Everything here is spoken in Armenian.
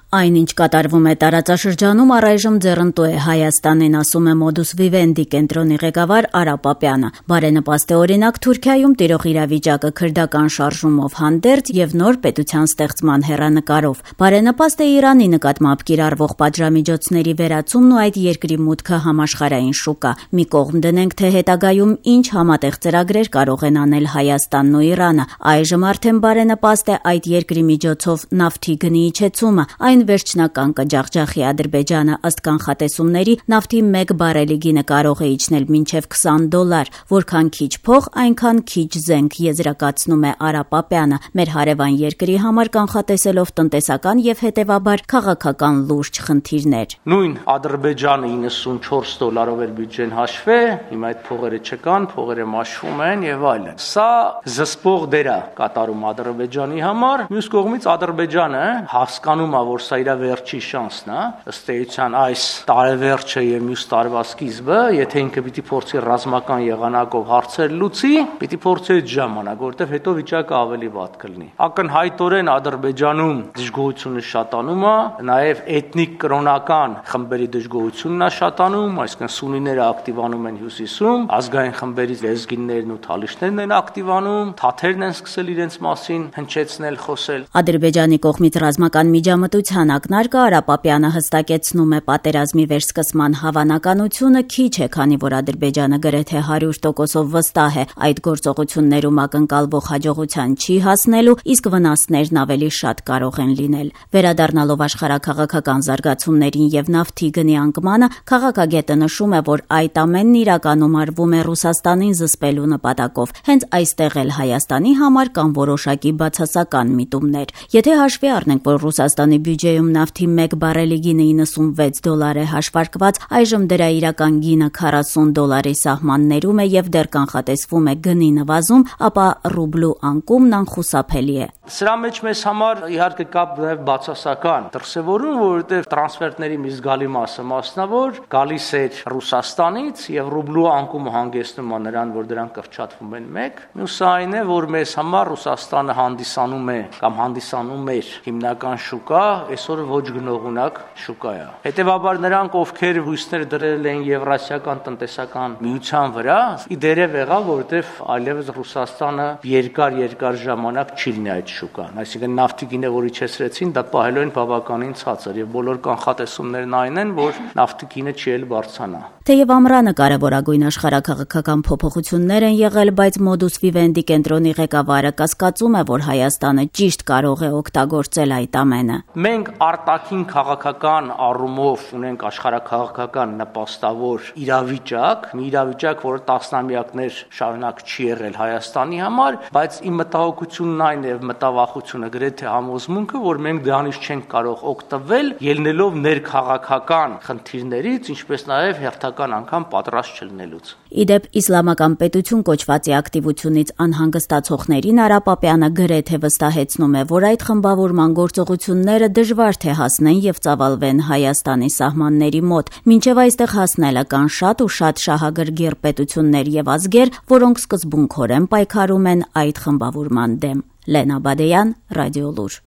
Այն, ինչ կատարվում է տարածաշրջանում, առայժմ ձեռնտու է Հայաստանին, ասում է Modus Vivendi կենտրոնի ղեկավար Արա Պապյանը։ Բարենպաստ է օրինակ Թուրքիայում տիրող իրավիճակը քրդական շարժումով հանդերձ եւ նոր պետության ստեղծման հեռանկարով։ Բարենպաստ է Իրանի նկատմամբ կիրառվող պատժամիջոցների վերացումն ու այդ երկրի մուտքը համաշխարհային շուկա։ Մի կողմ դնենք, թե հետագայում ինչ համատեղ ծրագրեր կարող են անել Հայաստանն ու Իրանը։ Այժմ արդեն բարենպաստ է այդ երկրի միջոցով նավթի գնի իջեցումը։ Այն վերջնական կջախջախի Ադրբեջանը, ըստ կանխատեսումների, նավթի 1 բարելի գինը կարող է իջնել մինչև $20, որքան քիչ փող, այնքան քիչ զենք, եզրակացնում է Արա Պապյանը, մեր հարևան երկրի համար կանխատեսելով տնտեսական եւ հետեւաբար քաղաքական լուրջ խնդիրներ։ Նույն Ադրբեջանը $94 էր բյուջեն հաշվե, հիմա այդ փողերը չկան, փողերը մաշվում են եւ այլն։ Սա զսպող դեր է կատարում Ադրբեջանի համար, մյուս կողմից Ադրբեջանը հասկանում է, որ սա իր վերջի շանսն է, ըստ էության այս տարեվերջը եւ մյուս տարվա սկիզբը, եթե ինքը պիտի փորձի ռազմական եղանակով հարցեր լուծի, պիտի փորձի այդ ժամանակ, որովհետեւ հետո վիճակը ավելի վատ կլինի։ Ակնհայտորեն Ադրբեջանում դժգոհությունը շատանում է, նաեւ էթնիկ կրոնական խմբերի դժգոհությունն է շատանում, այսինքն սունիները ակտիվանում են հյուսիսում, ազգային խմբերի լեզգիններն ու թալիշներն են ակտիվանում, թաթերն են սկսել իրենց մասին հնչեցնել, խոսել։ Ադրբեջանի կողմից ռազմական միջամտության ակնարկը Արա Պապյանը հստակեցնում է պատերազմի վերսկսման հավանականությունը քիչ է, քանի որ Ադրբեջանը գրեթե 100%-ով վստահ է այդ գործողություններում ակնկալվող հաջողության չի հասնելու, իսկ վնասներն ավելի շատ կարող են լինել։ Վերադառնալով աշխարհաքաղաքական զարգացումներին եւ նավթի գնի անկմանը, քաղաքագետը նշում է, որ այդ ամենն իրականում արվում է Ռուսաստանին զսպելու նպատակով։ Հենց այստեղ էլ Հայաստանի համար կան որոշակի բացասական միտումներ։ Եթե հաշվի առնենք, որ Ռուսաստանի բյուջեում նավթի 1 բարելի գինը $96 է հաշվարկված, այժմ դրա իրական գինը $40 սահմաններում է եւ դեռ կանխատեսվում է գնի նվազում, ապա ռուբլու անկումն անխուսափելի է։ Սրա մեջ մեզ համար իհարկե կա նաև բացասական դրսևորում, որովհետև տրանսֆերտների մի զգալի մասը մասնավոր գալիս էր Ռուսաստանից եւ ռուբլու անկումը հանգեցնում է նրան, որ դրանք կրճատվում են 1։ Մյուսը այն է, որ մեզ համար Ռուսաստանը հանդիսանում է կամ հանդիսանում էր հիմնական շուկա, այսօր ոչ գնողունակ շուկա է։ Հետևաբար նրանք, ովքեր հույսներ դրել են Եվրասիական տնտեսական միության վրա, իդերև եղավ, որովհետև այլևս Ռուսաստանը երկար ժամանակ չի լինի այդ շուկան, այսինքն նավթի գինը, որ իջեցրեցին, դա պահելու են բավականին ցածր եւ բոլոր կանխատեսումներն այն են, որ նավթի գինը չի էլ բարձրանա։ Թեև ամռանը կարևորագույն աշխարհաքաղաքական փոփոխություններ են եղել, բայց Modus Vivendi կենտրոնի ղեկավարը կասկածում է, որ Հայաստանը ճիշտ կարող է օգտագործել այդ ամենը։ Մենք արտաքին քաղաքական առումով ունենք աշխարհաքաղաքական նպաստավոր իրավիճակ, մի իրավիճակ, որը տասնամյակներ շարունակ չի եղել Հայաստանի համար, բայց իմ մտահոգությունն այն է, մտավախությունը գրեթե համոզմունքը, որ մենք դրանից չենք կարող օգտվել, ելնելով ներքաղաքական խնդիրներից, ինչպես նաև հերթական անգամ պատրաստ չլինելուց։ Իդեպ իսլամական պետություն կոչվածի ակտիվությունից անհանգստացողներին Արա Պապյանը գրեթե վստահեցնում է, որ այդ խմբավորման գործողությունները դժվար թե հասնեն եւ ծավալվեն Հայաստանի սահմանների մոտ, մինչեւ այստեղ հասնելը կան շատ ու շատ շահագրգիռ պետություններ եւ ազգեր, որոնք սկզբունքորեն պայքարում են այդ խմբավորման դեմ։ Լենա Բադեյան, Ռադիոլուր։